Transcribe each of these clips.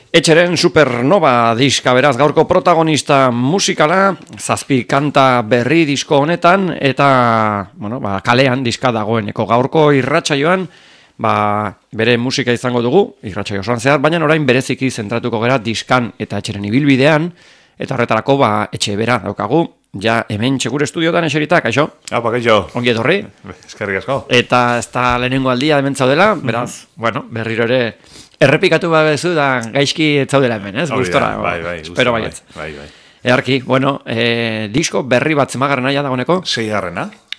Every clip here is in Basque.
Etxeren Supernova diska beraz gaurko protagonista musikala, 7 kanta berri disko honetan, eta kalean diska dagoeneko gaurko irratsaioan bere musika izango dugu, irratsaio osoan zehar, baina orain bereziki zentratuko gera diskan eta etxeren ibilbidean, eta horretarako etxe bera daukagu, ja hemen txekur estudiotan eserita, kaixo? Apa, kaixo. Ongi etorri. Eskerrik asko. Eta ez da lehenengo aldia hemen zaudela, beraz, berriro ere errepikatu babezu da gaizki etzaudela hemen, ez? Gustora. Bai. Espero baietz. Bai. Earki, disko berri bat zemagarren naia dagoeneko? 6.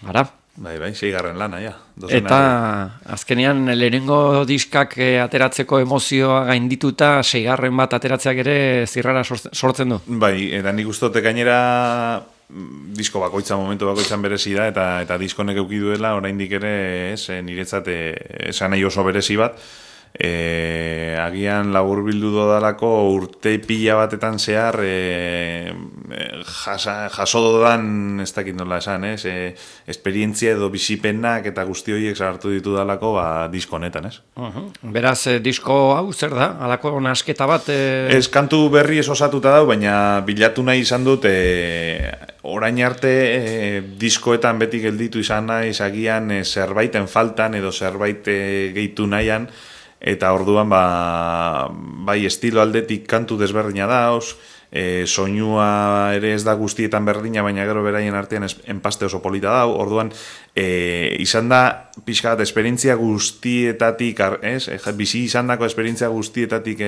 Ara. Bai, 6. lana, ja. Eta azkenean lehenengo diskak ateratzeko emozioa gaindituta 6. bat ateratzeak ere zirrara sortzen du. Bai, eta nik ustote gainera disko bakoitza, momentu bakoitzan berezi da, eta diskonek euki duela, oraindik ere, niretzat esan nahi oso berezi bat, agian laburbildu dodalako urte pila batetan zehar jaso dodan, ez dakit nola esan, esperientzia edo bizipenak eta guzti horiek sartu ditu dalako disko honetan, ez? Beraz, disko hau zer da? Halako nasketa bat? Ez kantu berri ez osatuta dau, baina bilatu nahi izan dut orain arte diskoetan beti gelditu izan naiz agian zerbaiten faltan edo zerbait gehitu nahian, eta orduan bai estilo aldetik kantu desberdina dauz, soinua ere ez da guztietan berdina, baina gero beraien artean enpaste oso polita dau, orduan izan da pixka bat esperientzia guztietatik, bizi izan dako esperientzia guztietatik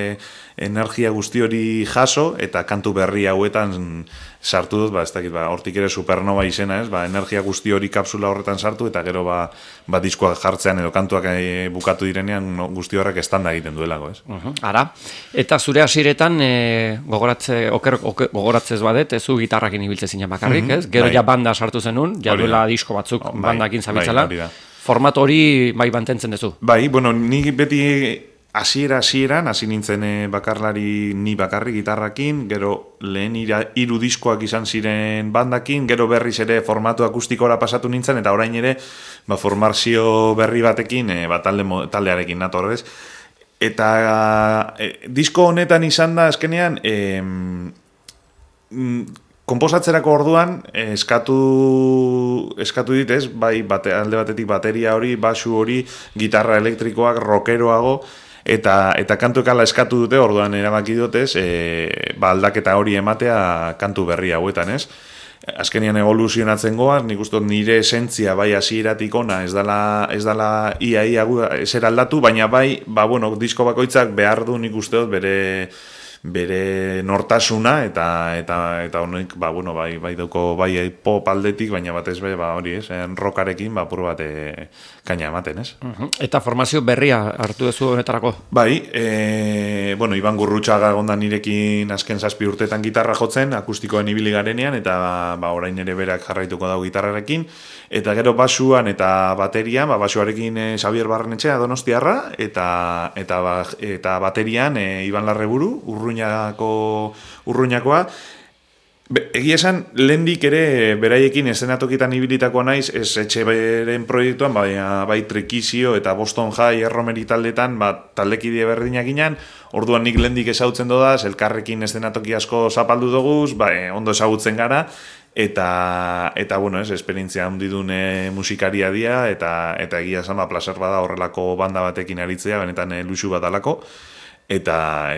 energia guzti hori jaso, eta kantu berri hauetan sartu dut, ez dakit, hortik ere Supernova izena, energia guzti hori kapsula horretan sartu, eta gero diskoak jartzean edo kantuak bukatu direnean guzti horrek estanda egiten duelako, ez? Ara, eta zure hasiretan gogoratzez badet, zu gitarrakin ibiltze zinen bakarrik, ez? Gero ja banda sartu zenun, ja duela disko batzuk bandakin zabitzala. Format hori mantentzen duzu? Bai, nik beti hasieran hasi nintzen bakarlari ni bakarri gitarrakin, gero lehen 3 diskoak izan ziren bandakin, gero berriz ere formatu akustikora pasatu nintzen, eta orain ere formazio berri batekin, taldearekin natorrez. Eta disko honetan izan da azkenean konposatzerako orduan eskatu dit, ez? Bai, alde batetik bateria hori, basu hori, gitarra elektrikoak, rockeroago, eta kantuek ala eskatu dute, orduan erabaki dutez, aldaketa hori ematea kantu berri hauetan, ez? Azkenean evoluzionatzen goaz, nik uste nire esentzia bai hasieratik ona ez dela ia ezer aldatu, baina bai, disko bakoitzak behar du nik uste dut bere nortasuna, eta honek, bai dauko bai pop aldetik, baina batez hori, rockarekin, apur bat kaina ematen, ez? Eta formazio berria hartu duzu honetarako? Bai, Iban Gurrutxaga gondan nirekin azken 7 urteetan gitarra jotzen, akustikoen ibili garenean, eta orain ere berak jarraituko dago gitarrarekin, eta gero basuan eta baterian, basuarekin Xabier Barrenetxea Donostiarra, eta baterian Iban Larreburu, Urruñakoa. Egia esan, lehendik ere beraiekin eszenatokitan ibilitakoa naiz, ez etxe beren proiektuan, bai Trikizio eta Boston High erromeri taldetan, taldekide berdinak ginen, orduan nik lehendik ezautzen dodaz, elkarrekin eszenatoki asko zapaldu duguz, ondo ezagutzen gara, eta esperientzia handidun musikaria dia, eta egia esan, plazer bada horrelako banda batekin aritzea, benetan luxu bat alako, eta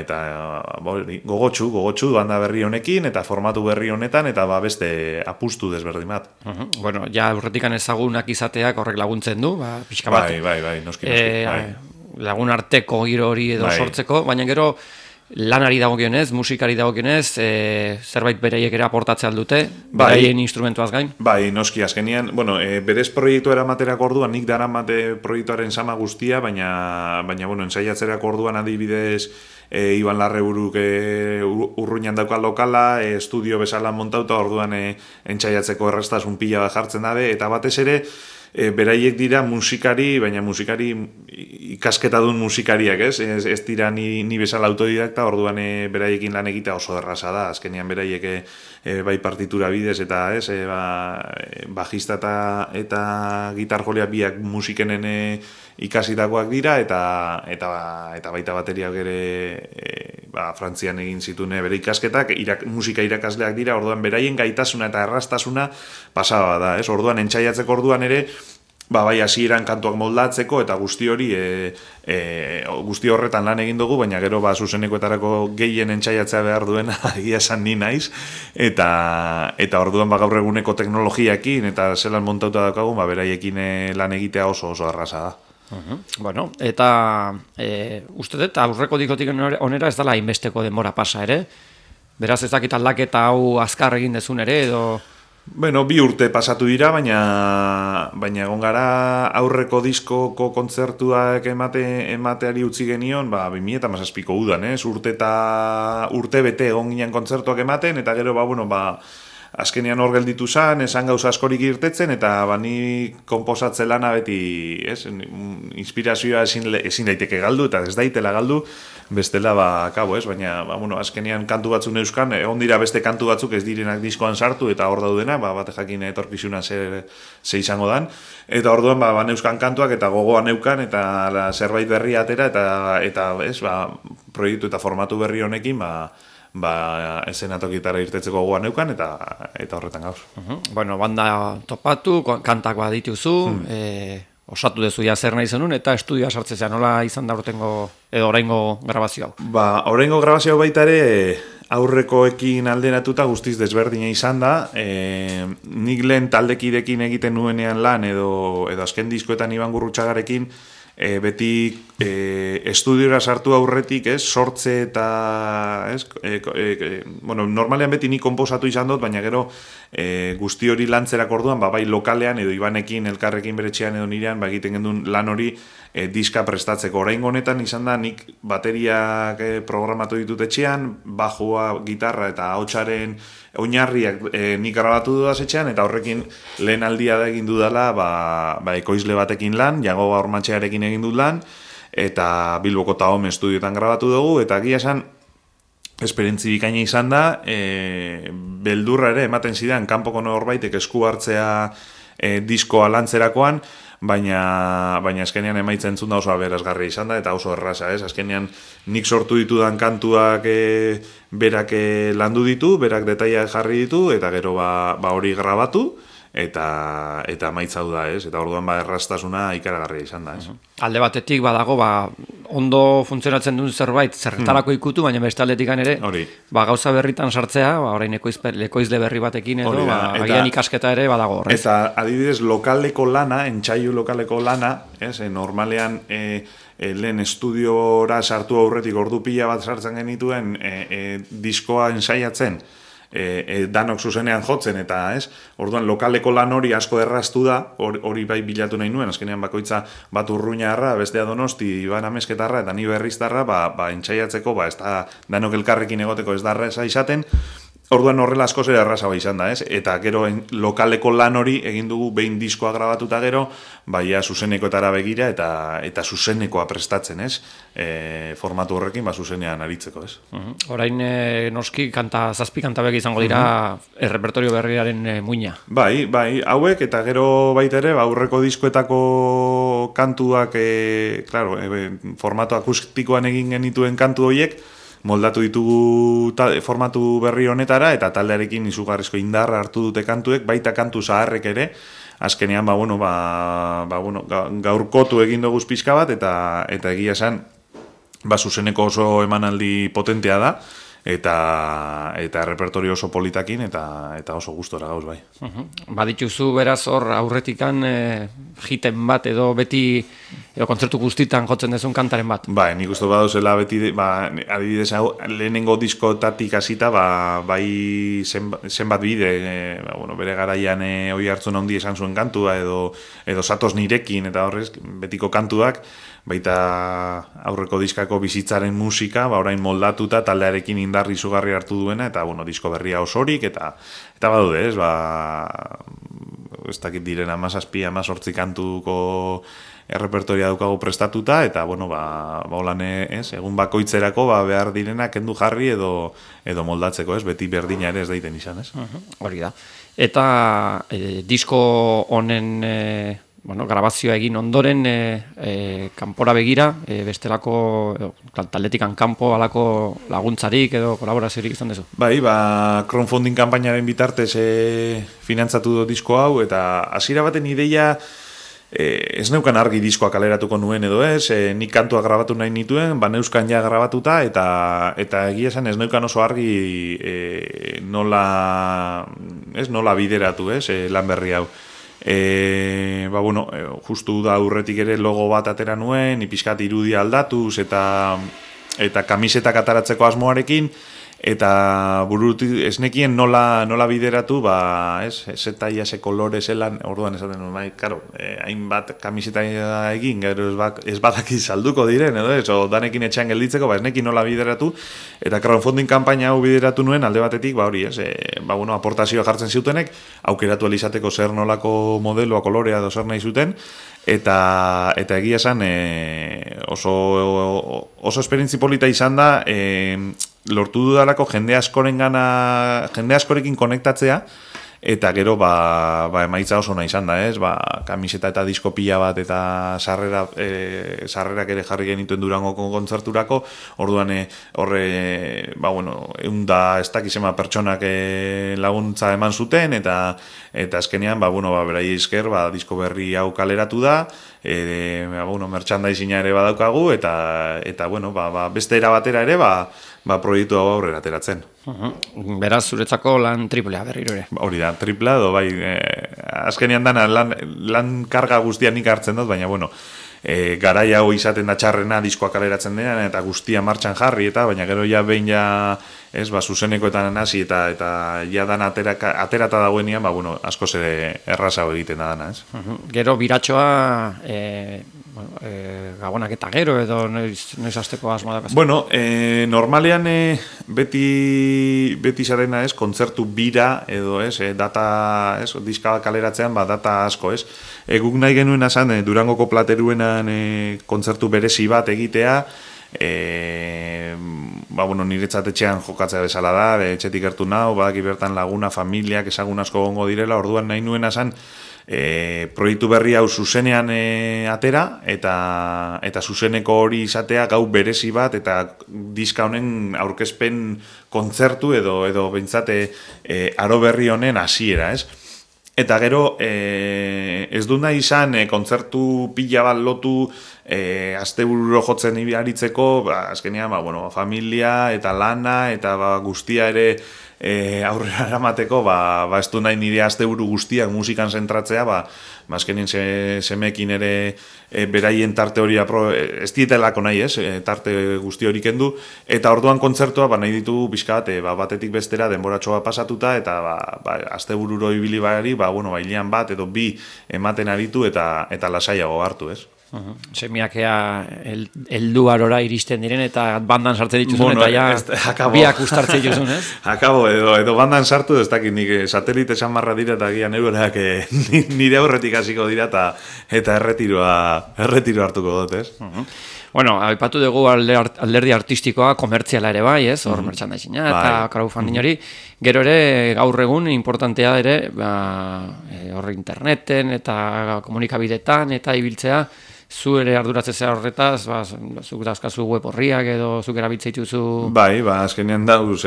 gogotsu banda berri honekin, eta formatu berri honetan, eta beste apustu desberdin bat. Ja aurretikan ezagunak izateak horrek laguntzen du, pixka bat. Bai, noski. Lagun arteko giro hori edo sortzeko, baina gero lanari dagokionez, musikari dagokionez, zerbait beraiek ere aportatzea aldute, beraien instrumentuaz gain? Bai, noski, azkenian, berez proiektu eramaterako orduan, nik daramate proiektuaren sama guztia, baina ensaiatzerako orduan adibidez, Iban Larreburuk Urruñan dauka lokala, estudio bezala montauta, orduan entsaiatzeko errestasun pila bat jartzen dabe, eta batez ere, beraiek dira musikari, baina musikari ikasketa duen musikariak, ez? Ez dira ni bezala autodidakta, orduan beraiekin lan egitea oso erraza da, azkenean beraiek bai partitura bidez, eta bajista eta gitarjolea biak musikenen ikasitakoak dira, eta baita bateriak ere Frantzian egin zituen bere ikasketak, musika irakasleak dira, orduan beraien gaitasuna eta erraztasuna pasaba da, ez? Orduan entzaiatzeko orduan ere, bai hasieran kantuak moldatzeko eta guzti hori guzti horretan lan egin dugu, baina gero zuzenekoetarako gehien entzaiatzea behar duena egia esan ni naiz eta orduan gaur eguneko teknologiakin eta zelan montauta daukagu, beraiekin lan egitea oso erraza da. Bueno, eta uste dut aurreko dikotik onera ez dela hainbesteko denbora pasa ere, beraz ez dakit aldaketa hau azkar egin dezun ere edo... Bueno, 2 urte pasatu dira, baina egon gara aurreko diskoko kontzertuak emateari utzi genion, 2017ko udan, urte bete egon ginen kontzertuak ematen, eta gero, azkenean hor gelditu zan, esan gauza askorik irtetzen, eta ni konposatze lana beti, inspirazioa ezin daiteke galdu, eta ez daitela galdu, bestela, baina, azkenean kantu batzun euskan, egon dira beste kantu batzuk ez direnak diskoan sartu, eta hor daudena, bate jakin etorkizuna ze izango dan, eta orduan, euskan kantuak, eta gogoan eukan, eta zerbait berri atera, eta proiektu eta formatu berri honekin, esenatokitara irtetzeko gogoan neukan, eta horretan gauz. Bueno, banda topatu, kantak badituzu, osatu dezu ja zer nahi zenun, eta estudioa sartzea nola izan da edo oraingo grabazio hau? Oraingo grabazio hau baita ere aurrekoekin alderatuta guztiz desberdina izan da. Nik lehen taldekidekin egiten nuenean lan edo azken diskoetan Iban Gurrutxagarekin beti estudiora sartu aurretik, sortze eta normalean beti ni konposatu izan dut, baina gero guzti hori lantzerak orduan, bai lokalean edo Ibanekin, elkarrekin beretxean edo nirean, egiten gendun lan hori diska prestatzeko. Oraingo honetan izan da nik bateriak programatu ditut etxean, bajua, gitarra eta ahotsaren oinarriak nik grabatu dudaz etxean, eta horrekin lehen aldia da egin dudala ekoizle batekin lan, Jago Ormatxearekin egin dut lan, eta Bilboko Tahom estudioetan grabatu dugu, eta egia esan esperientzi bikaina izan da, beldurra ere ematen zidan kanpoko norbaitek esku hartzea diskoa lantzerakoan, baina azkenean emaitza entzun da oso aberasgarria izan da, eta oso erraza, azkenean nik sortu ditudan kantuak berak landu ditu, berak detaiak jarri ditu, eta gero hori grabatu, eta emaitza da, eta orduan erraztasuna ikaragarria izan da. Alde batetik badago, ondo funtzionatzen duen zerbait, zerretarako ikutu, baina beste aldetik ere, gauza berritan sartzea, orain ekoizle berri batekin edo, agian ikasketa ere badago horrez. Eta adibidez, lokaleko lana, entzaiu lokaleko lana, normalean lehen estudiora sartu aurretik ordu pila bat sartzen genituen diskoa ensaiatzen, danok zuzenean jotzen, eta orduan lokaleko lan hori asko erraztu da, hori bai bilatu nahi nuen, azkenean bakoitza bat Urruñarra, bestea Donosti, Iban Amezketarra, eta ni Berriztarra, entzaiatzeko, ez da danok elkarrekin egoteko ez da erraza izaten, orduan horrela asko zera errazagoa izan da, eta gero lokaleko lan hori egin dugu behin diskoa grabatuta gero, zuzenekoetara begira eta zuzenekoa prestatzen, formatu horrekin zuzenean aritzeko, Orain noski zazpi kanta bek izango dira errepertorio berriaren muina. Bai, hauek, eta gero baita ere, aurreko diskoetako kantuak, formatu akustikoan egin genituen kantu horiek, moldatu ditugu formatu berri honetara, eta taldearekin izugarrizko indarra hartu dute kantuek, baita kantu zaharrek ere, azkenean, gaurkotu egin dugu pixka bat, eta egia esan, zuzeneko oso emanaldi potentea da, eta repertorio oso politakin, eta oso gustora gauz bai. Badituzu beraz hor aurretikan jiten bat edo beti kontzertu guztitan jotzen dezun kantaren bat? Nik uste baduzela beti, adibidez lehenengo diskotatik hasita, bai zenbat bide, bere garaian oi hartzun handi esan zuen kantua, edo Zatoz nirekin, eta horrez, betiko kantuak, baita aurreko diskako bizitzaren musika, orain moldatuta taldearekin indarri izugarri hartu duena, eta disko berria osorik, eta badude, ez dakit diren 17-18 kantuko errepertoria daukagu prestatuta, eta holan egun bakoitzerako behar direnak kendu jarri edo moldatzeko, beti berdina ere ez daiten izan, Hori da. Eta disko honen bueno, grabazioa egin ondoren kanpora begira, bestelako taldetikan kanpo alako laguntzarik edo kolaboraziorik izan duzu? Bai, crowdfunding kanpainaren bitartez finantzatu du disko hau, eta hasiera baten ideia ez neukan argi diskoa kaleratuko nuen edo ez, nik kantua grabatu nahi nituen, neuskan ja grabatuta, eta egia esan ez neukan oso argi nola bideratu, lan berri hau. Justu da aurretik ere logo bat atera nuen, pixkat irudia aldatuz, eta kamisetak ataratzeko asmoarekin, eta burutik esnekien nola bideratu, eta iase kolore zelan, orduan esaten nuen, hainbat kamiseta egin, gero ez badaki salduko diren, edo ez, o danekin etxean gelditzeko, esnekin nola bideratu, eta crowdfunding kanpaina hau bideratu nuen, alde batetik, aportazioa jartzen ziutenek, aukeratu alizateko zer nolako modeloa, kolorea, edo zer nahi zuten, eta egia esan oso esperientzi polita izan da, lortu dudalako jende askorekin konektatzea, eta gero emaitza oso nahi izan da, kamiseta eta disko pila bat eta sarrerak ere jarri genituen Durangoko kontzerturako, orduan eunda ez dakizema pertsonak laguntza eman zuten, eta azkenean, berai esker, disko berri hau kaleratu da, merchandising ere badaukagu, eta beste era batera ere, proiektu hau aurrera ateratzen. Beraz, zuretzako lan triplea berriro ere. Hori da, tripla edo, azkenean dana lan karga guztia nik hartzen dut, baina, garaia hau izaten da txarrena diskoa kaleratzen denean, eta guztia martxan jarri, baina gero ja behin zuzenekoetan hasi eta ja dan aterata dagoenean, askoz ere errazago egiten da dana, ez? Gero biratxoa gabonak eta gero edo noiz hasteko asmoa dakaz? Normalean beti zarena ez, kontzertu bira edo ez, data, ez, diska kaleratzean data asko, ez? Guk nahi genuen azan, Durangoko Plateruenan kontzertu berezi bat egitea, niretzat etxean jokatzea bezala da, etxetik gertu nau, badaki bertan laguna, familiak, ezagun asko gongo direla, orduan nahi nuen azan, proiektu berri hau zuzenean atera, eta zuzeneko hori izatea gau berezi bat, eta diska honen aurkezpen kontzertu edo behintzate aro berri honen hasiera, ez? Eta gero, ez du nahi izan kontzertu pila bat lotu astebururo jotzen aritzeko, azkenean, familia eta lana eta guztia ere aurrera eramateko, ez du nahi nire asteburu guztiak musikan zentratzea, azkenean semekin ere beraien tarte hori ez dietelako nahi, tarte guzti hori kendu, eta orduan kontzertua nahi ditugu pixkat, batetik bestera denboratxoa pasatuta, eta astebururo ibili bari, bailean bat edo bi ematen aritu eta lasaiago hartu, ez? Semiakea heldu arora iristen diren eta bandan sartzen dituzun eta biak ustartzen dituzun, ez? Akabo, edo bandan sartu, ez dakit nik satelite samarra dira eta gian euroak nire aurretik hasiko dira eta erretiroa hartuko dut, ez? Aipatu dugu alderdi artistikoa komertziala ere bai, ez? Hor merchandising-a eta crowdfunding hori. Gero ere, gaur egun, importantea ere, hor interneten eta komunikabidetan eta ibiltzea, zu ere arduratzea horretaz, zuk dauzkazu web horriak edo zuk erabiltzen dituzu... Azkenean dauz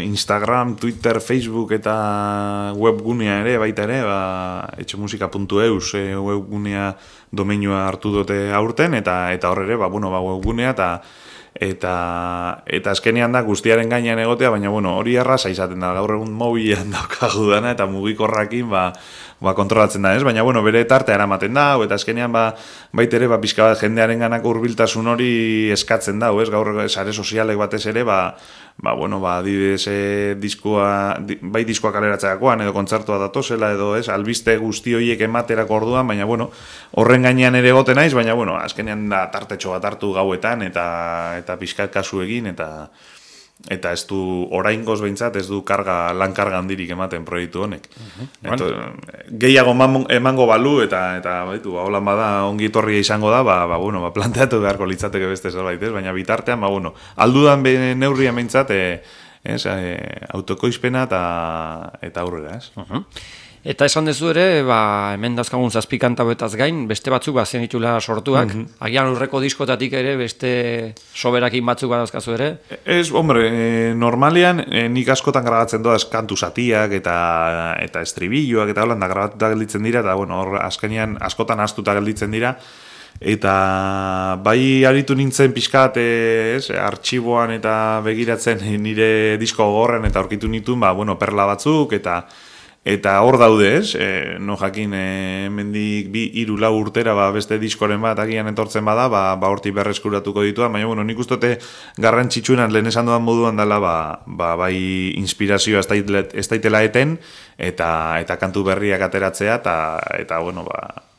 Instagram, Twitter, Facebook eta webgunea ere, baita ere, etxemusika.eus webgunea domeinua hartu dute aurten, eta hor ere, webgunea eta azkenean da guztiaren gainean egotea, baina hori erraza izaten da, gaur egun mobilean daukagu dana, eta mugikorrakin kontrolatzen da, ez? Baina, bere tartea eramaten da, eta azkenean baita ere, pixka bat jendearen ganako hurbiltasun hori eskatzen da, ez? Gaur sare sozialek batez ere, adibidez bai diskoa kaleratzeakoan, edo kontzertua datozela, edo ez, albiste guzti horiek ematerako orduan, baina, horren gainean ere egoten naiz, baina, azkenean da tartetxo bat hartu gauetan, eta pixkat kasu egin, eta ez du oraingoz behintzat, ez du lan karga handirik ematen proiektu honek. Gehiago emango balu, eta holan bada ongi etorria izango da, planteatu beharko litzateke beste zerbait, baina bitartean, aldudan neurria behintzat, autokoizpena eta aurrera, ez? Eta esan dezu ere, hemen dazkagun zazpi kanta betaz gain, beste batzuk bazen itula sortuak, agian urreko diskotatik ere beste soberakin batzuk badazkazu ere? Ez, hombre, normalean nik askotan grabatzen doaz kantu zatiak eta estribilloak eta holanda grabatuta gelditzen dira, eta bueno, hor azkenean askotan astuta gelditzen dira, eta bai aritu nintzen pixkat artxiboan eta begiratzen nire disko gogorren eta aurkitu nituen, perla batzuk eta hor daude, no jakin, mendik 2-3 urtera beste diskoren bat agian etortzen bada, hortik berreskuratuko dituan, baina nik ustote garrantzitsuenan lehen esan dudan moduan dela, bai inspirazioa ez daitela eten, eta kantu berriak ateratzea, eta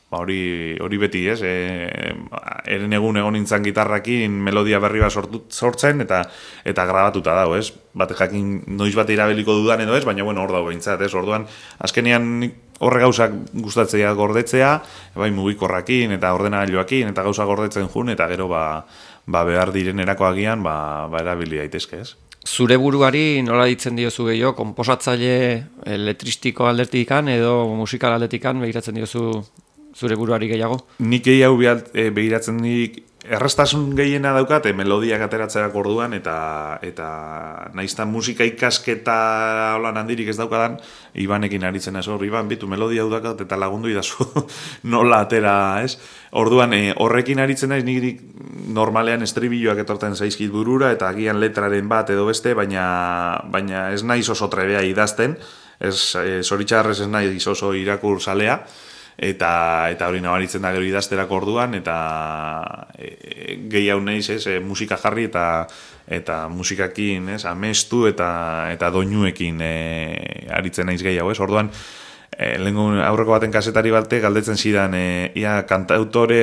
hori beti, eren egun nintzen gitarrakin melodia berri bat sortzen, eta grabatuta dago, Bate jakin noiz bat irabeliko dudan edo baina hor dago behintzat, Orduan, azkenean horre gauzak gustatzea gordetzea, bai mugikorrakin eta ordenagailuakin, eta gauza gordetzen jun, eta gero behar diren erakoagian, erabili daitezke, Zure buruari nola ditzen diozu gehiago, konposatzaile letristiko aldetikan edo musikal aldetikan begiratzen diozu zure buruari gehiago? Nik gehiago begiratzen dik errestasun gehiena daukat, melodiak ateratzea orduan, eta naiztan musika ikasketa holan handirik ez daukadan, Ibanekin aritzen Iban, bitu melodia hau daukat eta lagundu idazu nola atera, Orduan, horrekin aritzen naiz, nik normalean estribilloak etorten zaizkit burura, eta agian letraren bat edo beste, baina ez naiz oso trebea idazten, zoritxarrez ez naiz oso irakur zalea, eta hori nabaritzen da gero idazterako orduan, eta gehiago naiz, musika jarri eta musikakin, amestu eta doinuekin aritzen naiz gehiago, Orduan, aurreko baten kasetari batek galdetzen zidan, ea kantautore,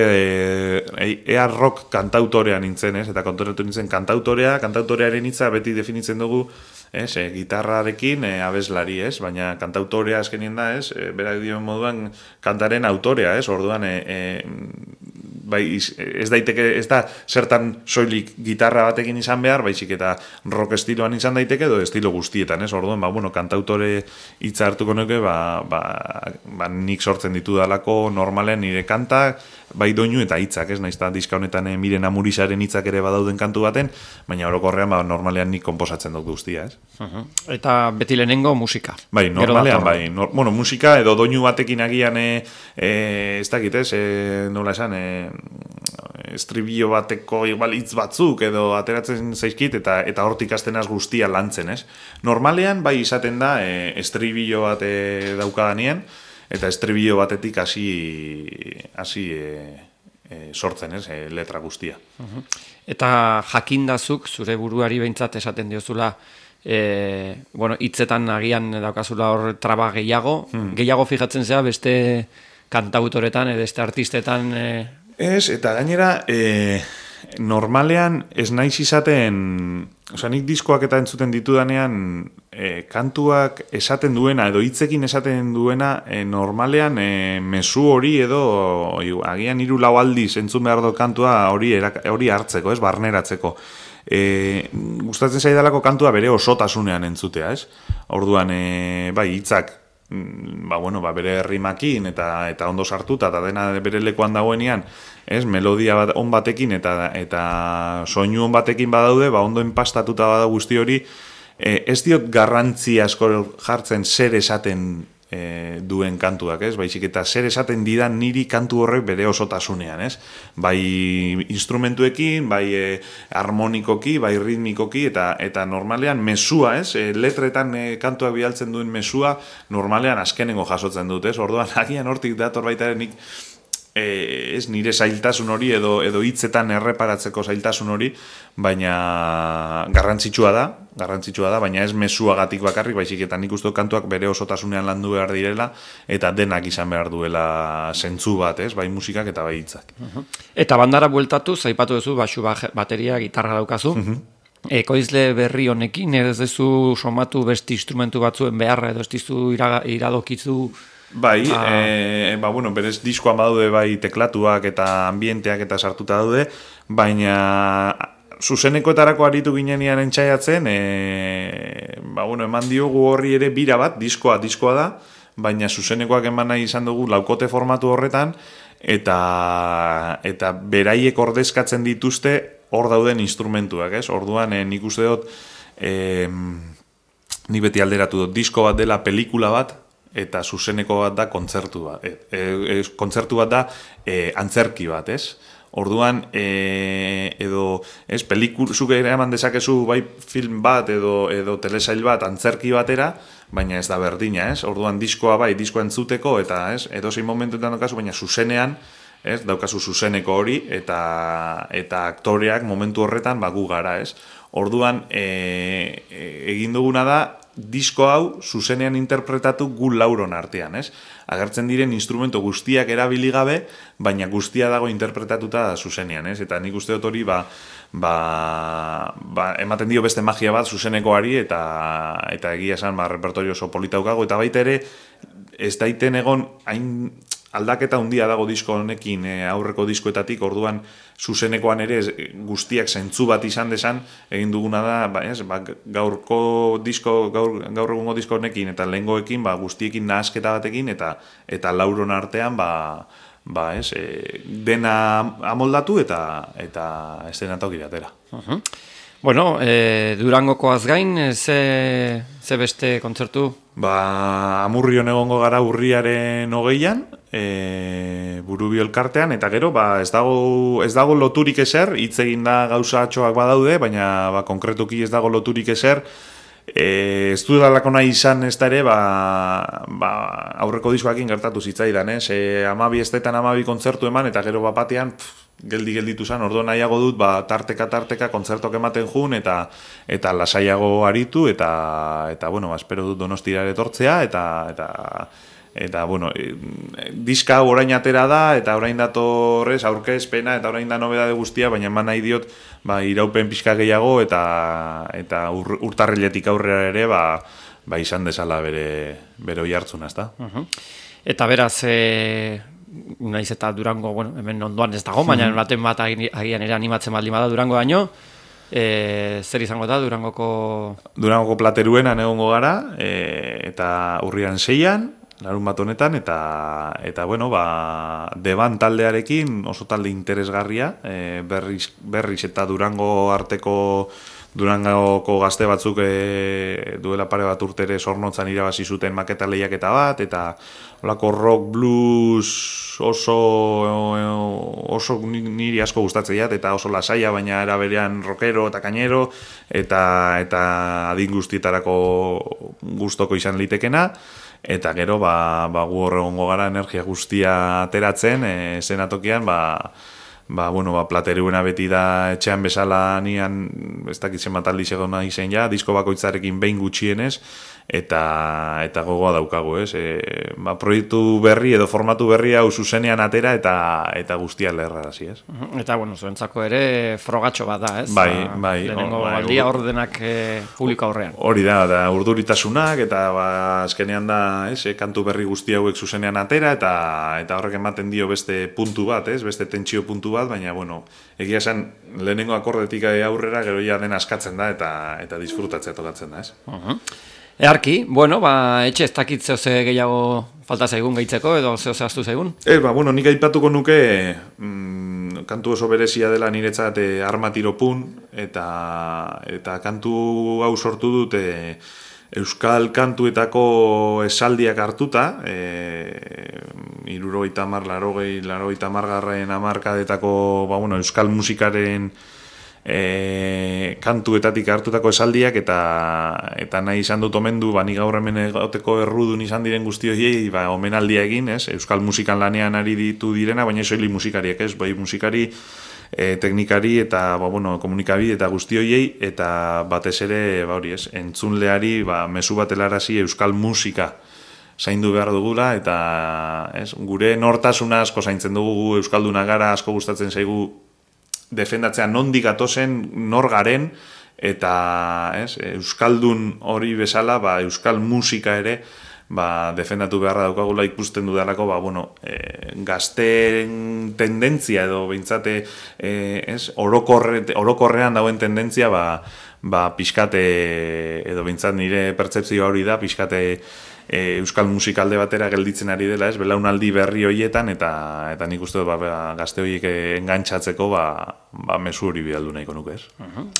ea rock kantautorea nintzen, eta kontoratu nintzen kantautorearen hitza beti definitzen dugu, gitarrarekin abeslari, baina kantautorea azkenien da, berak dion moduan kantaren autorea, Orduan, ez da zertan soilik gitarra batekin izan behar, baizik eta rock estiloan izan daiteke edo estilo guztietan, Orduan, kantautore hitza hartuko nuke, nik sortzen ditu dalako normalean nire kantak, bai doinu eta hitzak, naiz eta diska honetan Miren Amurizaren hitzak ere badauden kantu baten, baina orokorrean normalean nik konposatzen dut guztia, Eta beti lehenengo musika. Bai, normalean, musika edo doinu batekin agian, ez dakit, nola esan, estribillo bateko igual hitz batzuk edo ateratzen zaizkit eta hortik hasten guztia lantzen, Normalean, bai izaten da, estribillo bat daukadanean, eta estribillo batetik hasi sortzen, letra guztia. Eta jakindazuk, zure buruari behintzat esaten diozula, hitzetan agian daukazula hor traba gehiago fijatzen zea beste kantautoretan, beste artistetan... Ez, eta gainera, normalean ez naiz izaten, nik diskoak eta entzuten ditudanean, kantuak esaten duena edo hitzekin esaten duena, normalean mezu hori edo agian 3-4 aldiz entzun behar dut kantua hori hartzeko, barneratzeko. Gustatzen zaidalako kantua bere osotasunean entzutea, Orduan, bai, hitzak bere rimakin eta ondo sartuta eta dena bere lekuan dagoenean, melodia on batekin eta soinu on batekin badaude, ondo enpastatuta bada guzti hori, ez diot garrantzi asko jartzen zer esaten duen kantuak, baizik eta zer esaten didan niri kantu horrek bere osotasunean, bai instrumentuekin, bai harmonikoki, bai ritmikoki, eta normalean mesua, letretan kantuak bidaltzen duen mesua, normalean azkenengo jasotzen dut, Orduan, agian hortik dator baita nik nire zailtasun hori edo hitzetan erreparatzeko zailtasun hori, baina garrantzitsua da, baina ez mezuagatik bakarrik, baizik eta nik uste kantuak bere osotasunean landu behar direla, eta denak izan behar duela zentzu bat, bai musikak eta bai hitzak. Eta bandara bueltatu, zaipatu duzu, baxu bateria, gitarra daukazu, ekoizle berri honekin, ez duzu somatu beste instrumentu batzuen beharra, edo ez dizu iradokizu... Bai, berez diskoan badaude bai teklatuak eta ambienteak eta sartuta daude, baina zuzenekoetarako aritu ginenean entzaiatzen, eman diogu horri ere bira bat, diskoa da, baina zuzenekoak eman nahi izan dugu laukote formatu horretan, eta beraiek ordezkatzen dituzte hor dauden instrumentuak, ez? Orduan, nik uste dut, nik beti alderatu dut, disko bat dela pelikula bat, eta zuzeneko bat da kontzertu bat. Kontzertu bat da antzerki bat, ez? Orduan, edo, ez, zuk eraman dezakezu bai film bat edo telesail bat antzerki batera, baina ez da berdina, ez? Orduan, diskoa bai, diskoa entzuteko, eta, ez, edozein momentuetan daukazu, baina zuzenean, ez, daukazu zuzeneko hori, eta aktoreak momentu horretan gu gara, ez? Orduan, egin duguna da, disko hau zuzenean interpretatu gu lauron artean, ez? Agertzen diren instrumento guztiak erabili gabe, baina guztia dago interpretatuta zuzenean, ez? Eta nik uste dut hori, ematen dio beste magia bat zuzenekoari, eta egia esan, repertorio oso polita daukago, eta baita ere, ez daiten egon, hain aldaketa handia dago disko honekin aurreko diskoetatik, orduan zuzenekoan ere guztiak zentzu bat izan desan, egin duguna da, gaur egungo disko honekin eta lehengoekin guztiekin nahasketa batekin, eta lauron artean dena amoldatu eta estenatoki batera. Bueno, Durangokoaz gain, ze beste kontzertu? Amurrion egongo gara urriaren 20an, Burubio elkartean, eta gero, ez dago loturik ezer, hitz egin da gauzatxoak badaude, baina konkretuki ez dago loturik ezer, ez du dalako nahi izan ez da ere, aurreko diskoakin gertatu zitzaidan, 12 estetan 12 kontzertu eman, eta gero batean, gelditu zen, orduan nahiago dut, tarteka kontzertok ematen jun, eta lasaiago aritu, eta bueno, espero dut Donostira etortzea, eta bueno, diska hau orain atera da, eta orain datorrez, aurkezpena, eta orain da nobedade guztia, baina eman nahi diot, iraupen pixka gehiago, eta urtarriletik aurrera ere, izan dezala bere oi hartzuna, ezta? Eta beraz, naiz eta Durango, hemen ondoan ez dago, baina baten bat agian ere animatzen baldin bada Durango daño, zer izango da Durangoko plateruenan egongo gara, eta urrian 6an, larun bat honetan, eta bueno, Deban taldearekin oso talde interesgarria, berriz eta Durango arteko Durangoko gazte batzuk duela pare bat urtere Zornotzan irabazi zuten maketa lehiaketa bat, eta olako rock, blues oso niri asko gustatzen jat, eta oso lasaia, baina era berean rockero eta kainero, eta adin guztietarako gustoko izan litekena, eta gero gu horregongo gara energia guztia ateratzen, zenatokian, plateruena beti da etxean bezala nian, ez dakitzen bat aldiz egon nahi zen ja, disko bakoitzarekin behin gutxienez, eta gogoa daukagu, ez? Proiektu berri edo formatu berri hau zuzenean atera eta guztia lerrarazi, ez? Eta, zuentzako ere frogatxo bat da, ez? Bai. Lehenengo aldia ordenak publiko aurrean. Hori da urduritasunak, eta azkenean da, kantu berri guzti hauek zuzenean atera, eta horrek ematen dio beste puntu bat, ez? Beste tentsio puntu bat, baina, egia esan, lehenengo akordetik aurrera gero ja den askatzen da, eta disfrutatzea tokatzen da, ez? Earki, etxe ez dakit zehose gehiago falta zaigun gehitzeko, edo zehose aztu zaigun? Nik aipatuko nuke, kantu oso berezia dela niretzat Armatiropun, eta kantu hau sortu dut euskal kantuetako esaldiak hartuta, 70, 80 hamarkadetako euskal musikaren kantuetatik hartutako esaldiak, eta nahi izan dut omendu, nik gaur hemen egoteko errudun izan diren guzti horiei, omenaldia egin, euskal musikan lanean ari ditu direna, baina soili musikariek, musikari, teknikari eta komunikabide eta guzti horiei, eta batez ere entzunleari mezu bat helarazi euskal musika zaindu behar dugula, eta gure nortasuna asko zaintzen dugu, euskalduna gara, asko gustatzen zaigu defendatzea nondik gatozen, nor garen, eta euskaldun hori bezala, euskal musika ere defendatu beharra daukagula, ikusten dudalako, gazten tendentzia edo behintzate orokorrean dauen tendentzia pixkate, edo behintzat nire pertzepzioa hori da, pixkate euskal musikalde batera gelditzen ari dela, ez, belaunaldi berri hoietan, eta nik uste dut gazte horiek engantzatzeko mezu hori bidaldu nahiko nuke, ez?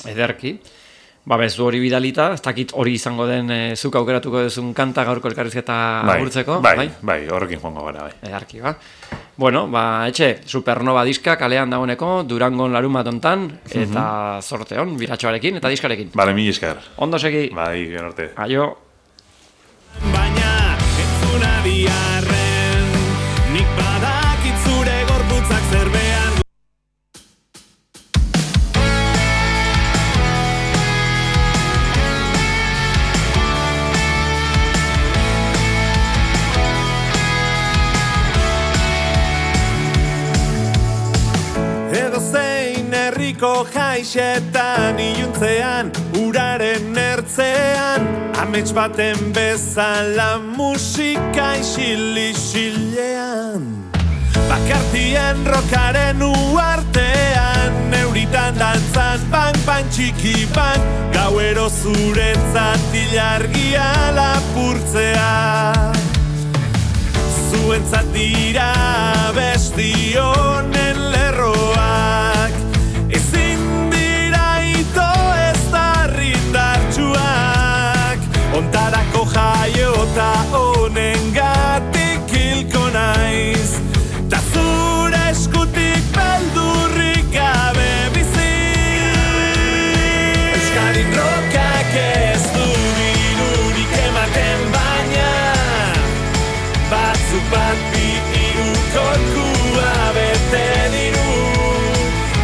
Ederki. Mezu hori bidalita, ez dakit hori izango den zuk aukeratuko duzun kanta gaurko elkarrizketa agurtzeko. Bai, horrekin joango gara, bai. Ederki, ba. Bueno, etxe, Supernova diska kalean dagoeneko, Durangon larumat hontan, eta zorte hon, biratxoarekin eta diskarekin. Bale, mil esker. Ondo segi. Bai, genorte. Aio. Baina, entzuna biharren, nik badakit zure gorputzak zer behar du. Edo zein herriko jaixetan iluntzean, uraren ertzean, amets baten bezala musika isil-isilean. Bakartien rokaren uartean, neuritan dantzan, pan txiki pan, gauero zuretzat ilargia lapurtzea. Zuentzat dira besti honen lerroak, ezin dira ito ez darrindartxuak, ontarako jaiota honen gatik hilko naiz, ta zure eskutik beldurrik gabe bizi. Euskadin rokak ez du dirurik ematen baina, batzuk bat bi hiru kolkua bete diru,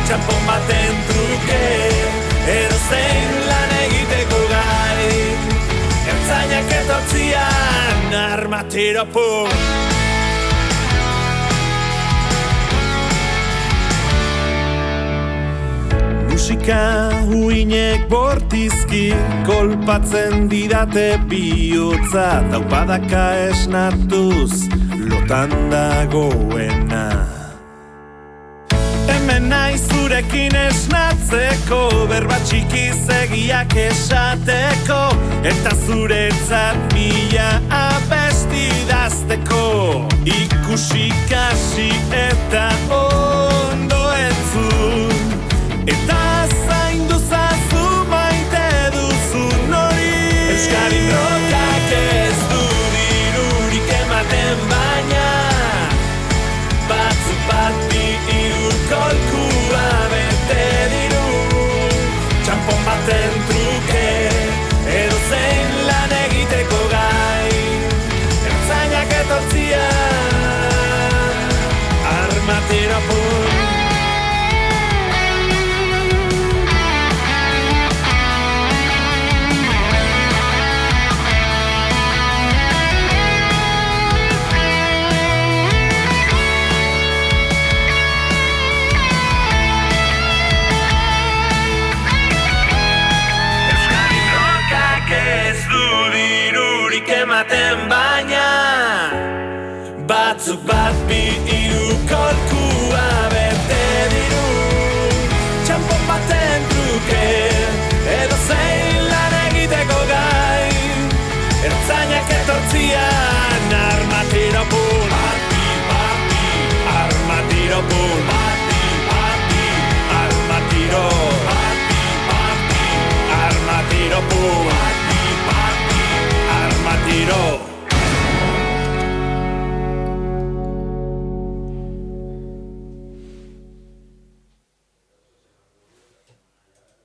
txampon baten truke, edo zein lan egiteko gai, ertzainak etortzian armatero pum. Musika uinek bortizki kolpatzen didate bihotza, taupadaka esnatuz lotan dagoena. Hemen naiz zurekin esnatzeko, berba txikiz egiak esateko, eta zuretzat mila abesti idazteko. Ikusi kasi eta ondo entzun, eta zaindu zazu maite duzun hori. Euskadin rokak ez du dirurik ematen baina, batzuk bat bi hiru kolkua bete diru, txampon baten truke, edo zein lan egiteko gai, ertzainak etortzian armatero pun. Ematen baina, batzuk bat bi hiru kolkua